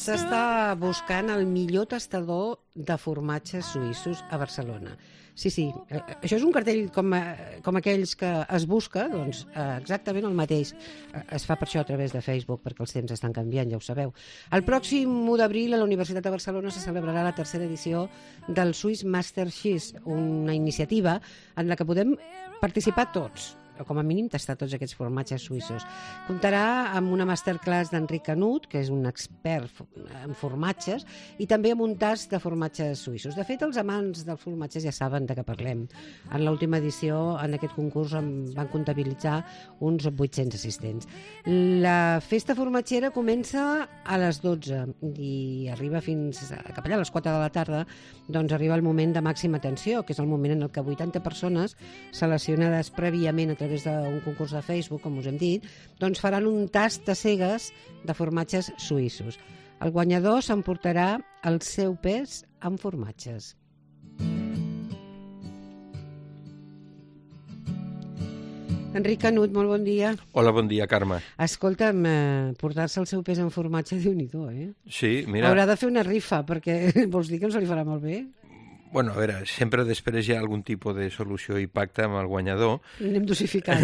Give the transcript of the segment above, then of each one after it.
S'està buscant el millor tastador de formatges suïssos a Barcelona. Sí, això és un cartell com aquells que es busca, doncs exactament el mateix. Es fa per això a través de Facebook, perquè els temps estan canviant, ja ho sabeu. El pròxim 1 d'abril a la Universitat de Barcelona se celebrarà la 3a edició del Swiss Master Cheese, una iniciativa en la que podem participar tots, o com a mínim tastar tots aquests formatges suïssos. Comptarà amb una masterclass d'Enric Canut, que és un expert en formatges, i també amb un tast de formatges suïssos. De fet, els amants dels formatges ja saben de què parlem. En l'última edició, en aquest concurs, van comptabilitzar uns 800 assistents. La festa formatgera comença a les 12 i arriba fins cap allà a les 4 de la tarda, doncs arriba el moment de màxima tensió, que és el moment en el que 80 persones seleccionades prèviament a través d'un concurs de Facebook, com us hem dit, doncs faran un tast a cegues de formatges suïssos. El guanyador s'emportarà el seu pes en formatges. Enric Canut, molt bon dia. Hola, bon dia, Carme. Escolta'm, portar-se el seu pes en formatge, Déu-n'hi-do, Sí, mira... Haurà de fer una rifa, perquè vols dir que no se li farà molt bé? Bueno, a veure, sempre després hi ha algun tipus de solució i pacte amb el guanyador. Anem dosificant.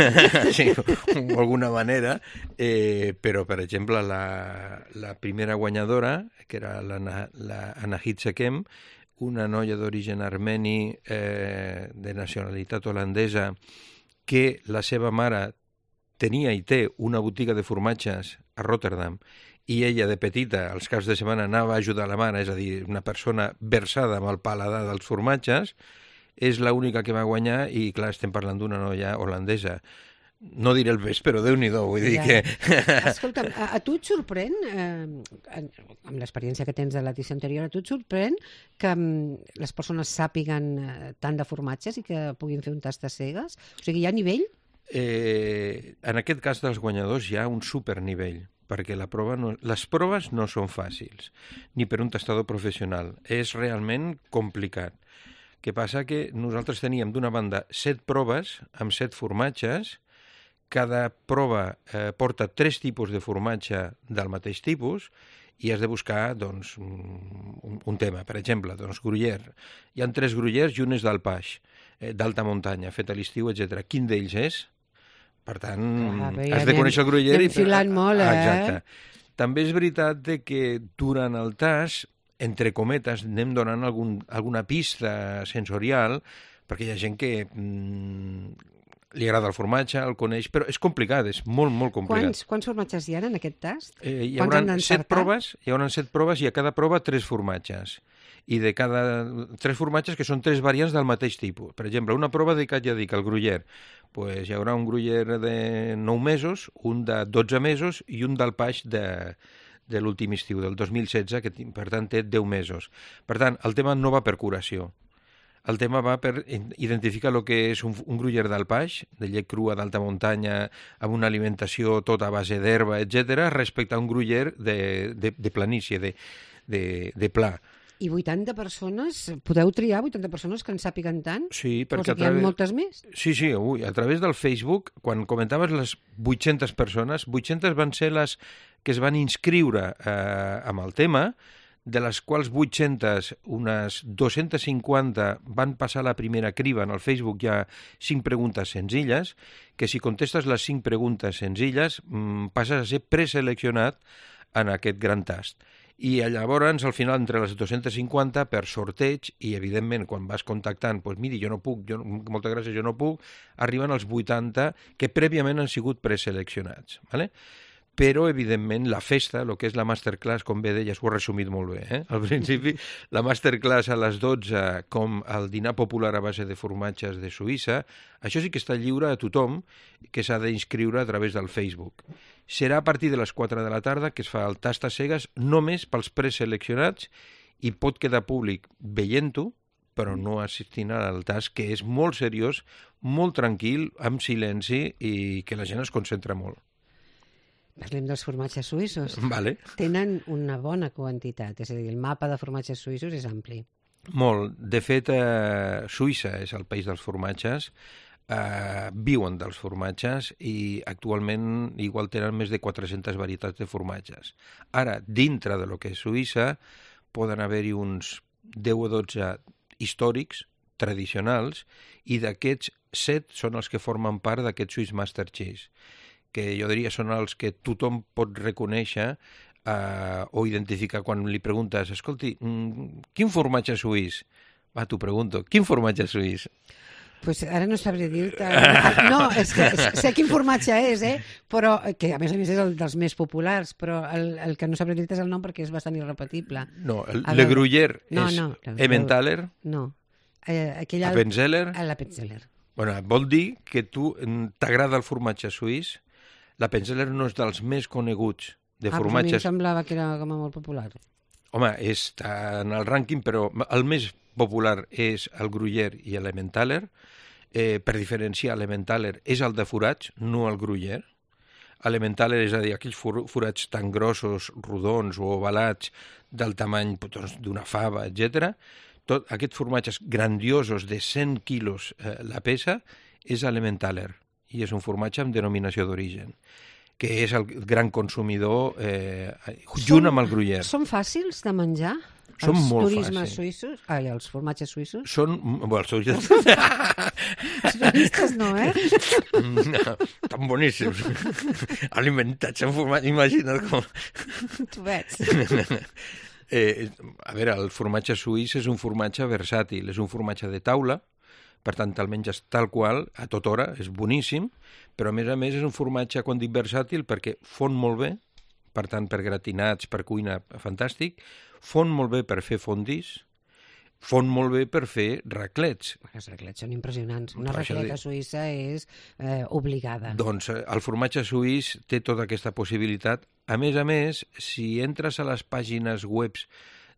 Sí, d'alguna manera. Però, per exemple, la primera guanyadora, que era l'Anahit Sekem, una noia d'origen armeni de nacionalitat holandesa, que la seva mare tenia i té una botiga de formatges a Rotterdam, i ella de petita, als caps de setmana, anava a ajudar la mare, és a dir, una persona versada amb el paladar dels formatges, és l'única que va guanyar i, clar, estem parlant d'una noia holandesa. No diré el pes, però Déu-n'hi-do, vull dir que... Escolta'm, a tu et sorprèn, amb l'experiència que tens de l'edició anterior, a tu et sorprèn que les persones sàpiguen tant de formatges i que puguin fer un tast a cegues? O sigui, hi ha nivell? En aquest cas dels guanyadors hi ha un supernivell, perquè les proves no són fàcils, ni per un tastador professional. És realment complicat. Què passa? Que nosaltres teníem d'una banda 7 proves amb 7 formatges. Cada prova porta 3 tipus de formatge del mateix tipus i has de buscar doncs, un tema. Per exemple, doncs, gruyère. Hi ha 3 gruyères i un és d'Alpaix, d'alta muntanya, fet a l'estiu, etc. Quin d'ells és? Per tant, has de conèixer el gruyère. Anem filant molt, Exacte. També és veritat que durant el tast, entre cometes, anem donant alguna pista sensorial, perquè hi ha gent que li agrada el formatge, el coneix, però és complicat, és molt, molt complicat. Quants formatges hi ha en aquest tast? Hi haurà 7 proves i a cada prova 3 formatges. I de cada 3 formatges que són 3 variants del mateix tipus. Per exemple, una prova dedicat, ja dic, al gruyère. Pues hi haurà un gruyère de 9 mesos, un de 12 mesos i un d'Alpaix de l'últim estiu, del 2016, que per tant té 10 mesos. Per tant, el tema no va per curació. El tema va per identificar el que és un gruyère d'Alpaix, de llet crua d'alta muntanya, amb una alimentació tota a base d'herba, etc., respecte a un gruyère de planícia, de pla. I 80 persones, podeu triar 80 persones que en sàpiguen tant? Sí, perquè hi ha moltes més? Sí, a través del Facebook, quan comentaves les 800 persones, 800 van ser les que es van inscriure amb el tema, de les quals 800, unes 250 van passar la primera criba. En el Facebook hi ha 5 preguntes senzilles, que si contestes les 5 preguntes senzilles passes a ser preseleccionat en aquest gran tast. I llavors, al final, entre les 250, per sorteig, i evidentment, quan vas contactant, doncs miri, jo no puc, moltes gràcies, jo no puc, arriben els 80 que prèviament han sigut preseleccionats, ¿vale? Però, evidentment, la festa, el que és la masterclass, com bé deies, ho he resumit molt bé, Al principi, la masterclass a les 12, com el dinar popular a base de formatges de Suïssa, això sí que està lliure a tothom que s'ha d'inscriure a través del Facebook. Serà a partir de les 4 de la tarda que es fa el tast a cegues només pels preseleccionats i pot quedar públic veient-ho, però no assistint al tast, que és molt seriós, molt tranquil, amb silenci i que la gent es concentra molt. Parlem dels formatges suïssos. Vale. Tenen una bona quantitat, és a dir, el mapa de formatges suïssos és ampli. Molt. De fet, Suïssa és el país dels formatges. viuen dels formatges i actualment igual tenen més de 400 varietats de formatges. Ara, dintre de lo que és Suïssa, poden haver-hi uns 10 o 12 històrics, tradicionals, i d'aquests 7 són els que formen part d'aquest Swiss Master Cheese, que jo diria són els que tothom pot reconèixer o identificar quan li preguntes, escolti, quin formatge suís? Va, t'ho pregunto, quin formatge suís? Pues ara no sabré dir-te... No, és que sé quin formatge és, però que a més és el dels més populars, però el que no sabré dir-te és el nom perquè és bastant irrepetible. No, Le Gruyère és Emmentaler? No. Appenzeller? L'Appenzeller. Bueno, vol dir que tu t'agrada el formatge suís. L'Appenzeller no és dels més coneguts de formatges. A mi em semblava que era com a molt popular. Home, està en el rànquing, però el més popular és el Gruyère i l'Emmentaler. Per diferenciar, l'Emmentaler és el de forats, no el Gruyère. L'Emmentaler, és a dir, aquells forats tan grossos, rodons o ovalats del tamany d'una fava, etc. Tot aquests formatges grandiosos de 100 quilos la peça és l'Emmentaler i és un formatge amb denominació d'origen, que és el gran consumidor junt amb el Gruyère. Són fàcils de menjar? Són molt turismes fàcils. Suïssos? Els formatges suïssos? Són... Bueno, els turistes... Els turistes no, No, tan boníssims. Alimentats en formatge, imagina't com... Tu veig. A veure, el formatge suís és un formatge versàtil, és un formatge de taula, per tant el menges tal qual, a tota hora, és boníssim, però a més és un formatge, quan dic versàtil, perquè fon molt bé, per tant per gratinats, per cuina, fantàstic, fon molt bé per fer fondis, fon molt bé per fer raclets. Els raclets són impressionants. Una racleta suïssa és obligada. Doncs el formatge suís té tota aquesta possibilitat. A més, si entres a les pàgines webs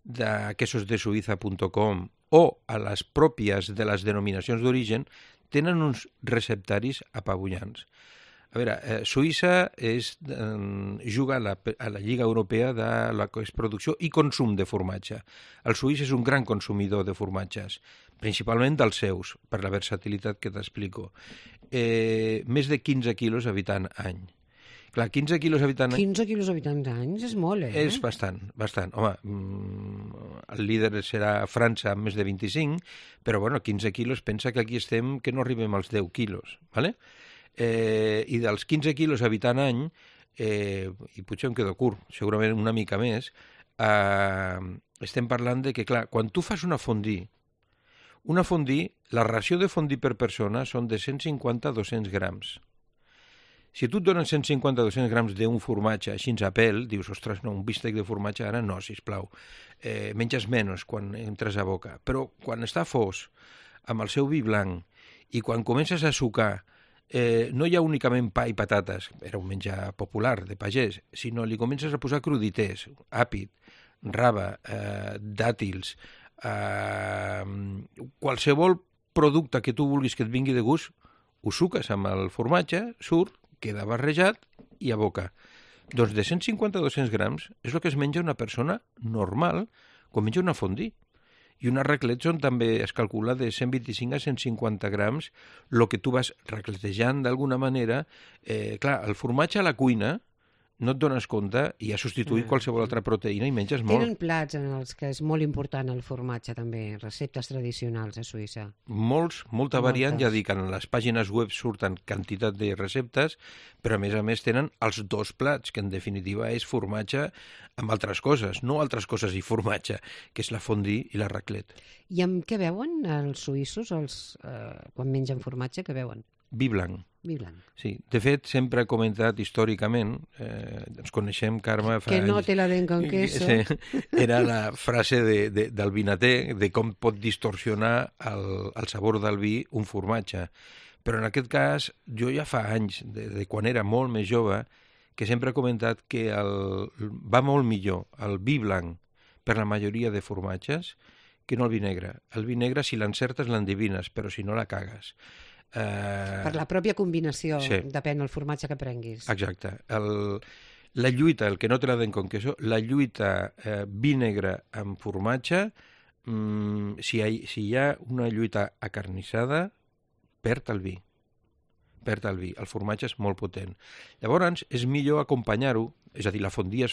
de quesosdesuiza.com o a les pròpies de les denominacions d'origen, tenen uns receptaris apabullants. A veure, Suïssa juga a la Lliga Europea de la producció i consum de formatge. El suís és un gran consumidor de formatges, principalment dels seus, per la versatilitat que t'explico. Més de 15 quilos habitant any. Clar, 15 quilos habitant any... 15 quilos habitant any és molt, És bastant. Home, el líder serà França amb més de 25, però bueno, 15 quilos, pensa que aquí estem que no arribem als 10 quilos, ¿vale? I dels 15 quilos habitant any, i potser em quedo curt, segurament una mica més, estem parlant de que, clar, quan tu fas una fondue, la ració de fondue per persona són de 150 a 200 grams. Si tu et donen 150 a 200 grams d'un formatge així a pèl, dius, ostres, no, un bistec de formatge ara no, sisplau. Menges menys quan entres a boca. Però quan està fos, amb el seu vi blanc, i quan comences a sucar, no hi ha únicament pa i patates, era un menjar popular de pagès, sinó li comences a posar cruditers, àpid, raba, dàtils, qualsevol producte que tu vulguis que et vingui de gust, ho suques amb el formatge, surt, queda barrejat i a boca. Doncs de 150 a 200 grams és el que es menja una persona normal quan menja una fondue. I una raclet són també, es calcula, de 125 a 150 grams, el que tu vas racletejant d'alguna manera. Clar, el formatge a la cuina no et dones compte i ha substituït qualsevol altra proteïna i menges molt. Tenen plats en els que és molt important el formatge també, receptes tradicionals a Suïssa. Molta variant, ja dic, en les pàgines web surten quantitat de receptes, però a més tenen els dos plats, que en definitiva és formatge amb altres coses, no altres coses i formatge, que és la fondue i la raclette. I amb què beuen els suïssos quan mengen formatge, què beuen? Vi blanc. Vi blanc. Sí, de fet, sempre he comentat històricament, ens coneixem, Carme, fa que no anys. te la den con queso. Sí, era la frase del vinater, de com pot distorsionar el sabor del vi un formatge. Però en aquest cas, jo ja fa anys, de quan era molt més jove, que sempre he comentat que va molt millor el vi blanc per la majoria de formatges que no el vi negre. El vi negre, si l'encertes, l'endevines, però si no, la cagues. Per la pròpia combinació, sí. Depèn del formatge que prenguis. Exacte. La lluita, el que no te la den con queso, la lluita vi negre amb formatge, si hi ha una lluita acarnissada, perd el vi. perd el vi. El formatge és molt potent. Llavors, és millor acompanyar-ho, és a dir, la fondue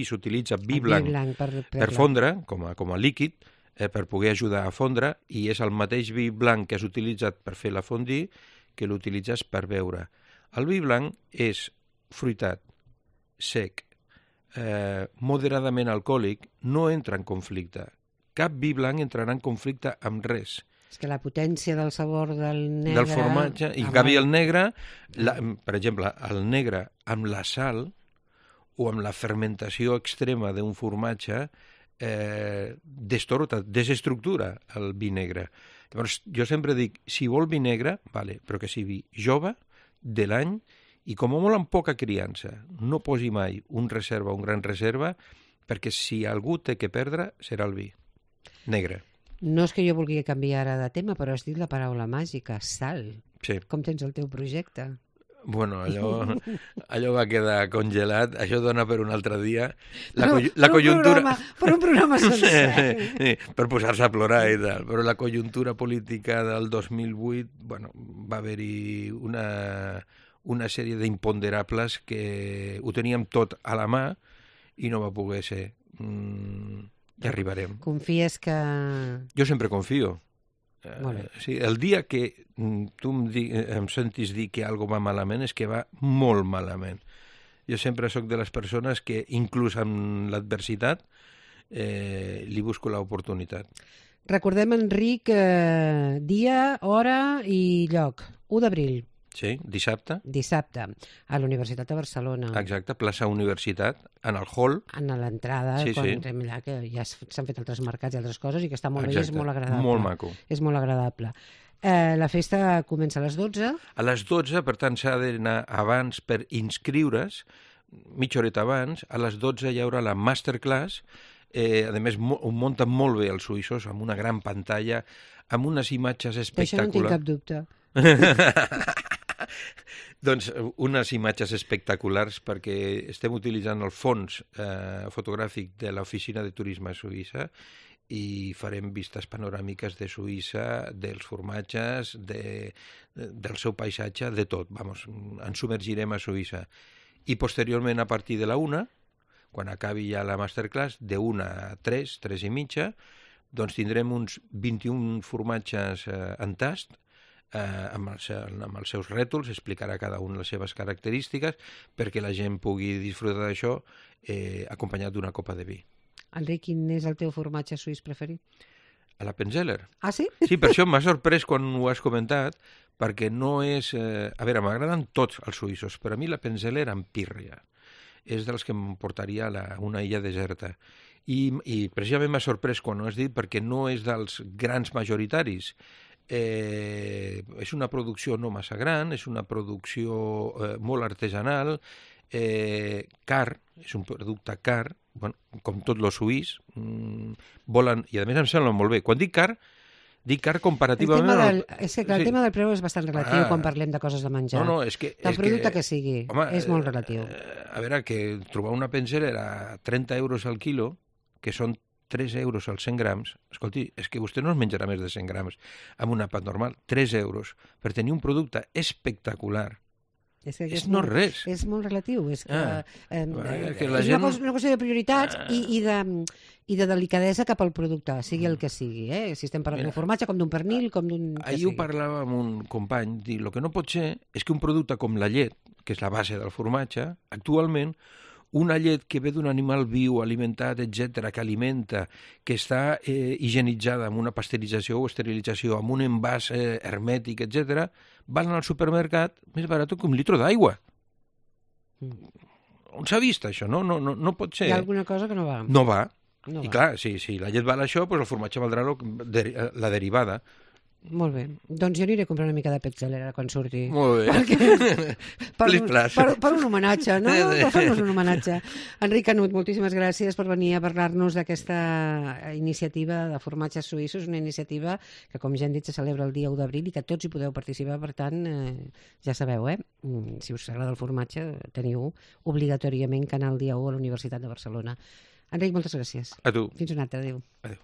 s'utilitza vi blanc per fondre, com a líquid, per poder ajudar a fondre, i és el mateix vi blanc que has utilitzat per fer la fondue que l'utilitzes per beure. El vi blanc és fruitat, sec, moderadament alcohòlic, no entra en conflicte. Cap vi blanc entrarà en conflicte amb res. És que la potència del sabor del negre... Del formatge, i en canvi el negre, per exemple, el negre amb la sal o amb la fermentació extrema d'un formatge desestructura el vi negre. Llavors, jo sempre dic, si vol vi negre, vale, però que sigui jove, de l'any, i com a molt amb poca criança. No posi mai un gran reserva, perquè si algú té que perdre, serà el vi negre. No és que jo vulgui canviar ara de tema, però has dit la paraula màgica, sal. Sí. Com tens el teu projecte? Bueno, allò va quedar congelat, això dona per un altre dia. La conjuntura... Per un programa sencer. Sí, per posar-se a plorar i tal. Però la conjuntura política del 2008, bueno, va haver-hi una sèrie d'imponderables que ho teníem tot a la mà i no va poder ser. Ja arribarem. Confies que... Jo sempre confio. Sí, el dia que tu em sentis dir que algo va malament és que va molt malament. Jo sempre sóc de les persones que, inclús amb l'adversitat, li busco l'oportunitat. Recordem, Enric, dia, hora i lloc. 1 d'abril. Sí, dissabte. Dissabte, a la Universitat de Barcelona. Exacte, plaça Universitat, en el hall. En l'entrada, quan entrem allà, que ja s'han fet altres mercats i altres coses i que està molt bé i és molt agradable. Molt maco. És molt agradable. La festa comença a les 12. A les 12, per tant, s'ha d'anar abans per inscriure's, mitja horeta abans. A les 12 hi haurà la masterclass. A més, ho munten molt bé els suïssos, amb una gran pantalla, amb unes imatges espectaculars. D'això no tinc cap dubte. Doncs unes imatges espectaculars, perquè estem utilitzant el fons fotogràfic de l'Oficina de Turisme a Suïssa i farem vistes panoràmiques de Suïssa, dels formatges, del seu paisatge, de tot. Vamos, ens submergirem a Suïssa. I posteriorment, a partir de la 1, quan acabi ja la masterclass, de 1 a 3, 3 i mitja, doncs tindrem uns 21 formatges en tast, amb els seus rètols, explicarà cada un les seves característiques perquè la gent pugui disfrutar d'això acompanyat d'una copa de vi. Enric, quin és el teu formatge suís preferit? A la Penzeller. Ah, sí? Sí, per això m'ha sorprès quan ho has comentat, perquè no és... A veure, m'agraden tots els suïssos, però a mi la Penzeller amb pírria és dels que em portaria a una illa deserta. I precisament m'ha sorprès quan ho has dit, perquè no és dels grans majoritaris. És una producció no massa gran, és una producció molt artesanal, car, és un producte car, bueno, com tot lo suís, volen, i a més em sembla molt bé. Quan dic car comparativament... És que el tema del preu és bastant relatiu quan parlem de coses de menjar. No, és que... Del producte que sigui, és molt relatiu. A veure, que trobar una Penzeller a 30 euros al quilo, que són 3 euros als 100 grams, escolti, és que vostè no es menjarà més de 100 grams amb un àpat normal, 3 euros, per tenir un producte espectacular. És no res. És molt relatiu, és que, és una qüestió de prioritats i de delicadesa cap al producte, sigui el que sigui. Si estem parlant d'un formatge, com d'un pernil, com d'un... Ahir ho parlava amb un company, dir, el que no pot ser és que un producte com la llet, que és la base del formatge, actualment, una llet que ve d'un animal viu, alimentat, etc., que alimenta, que està higienitzada amb una pasteurització o esterilització, amb un envàs hermètic, etc., van al supermercat més barat que un litro d'aigua. On s'ha vist això? No pot ser. Hi ha alguna cosa que no va. No va. I clar, si la llet val això, doncs el formatge valdrà la derivada. Molt bé. Doncs jo aniré a comprar una mica de Penzeller quan surti. Molt bé. Per un homenatge, no? Per fer-nos un homenatge. Enric Canut, moltíssimes gràcies per venir a parlar-nos d'aquesta iniciativa de formatges suïssos, una iniciativa que, com ja hem dit, se celebra el dia 1 d'abril i que tots hi podeu participar. Per tant, ja sabeu, si us agrada el formatge, teniu obligatòriament que anar el dia 1 a la Universitat de Barcelona. Enric, moltes gràcies. A tu. Fins una altra. Adéu. Adéu.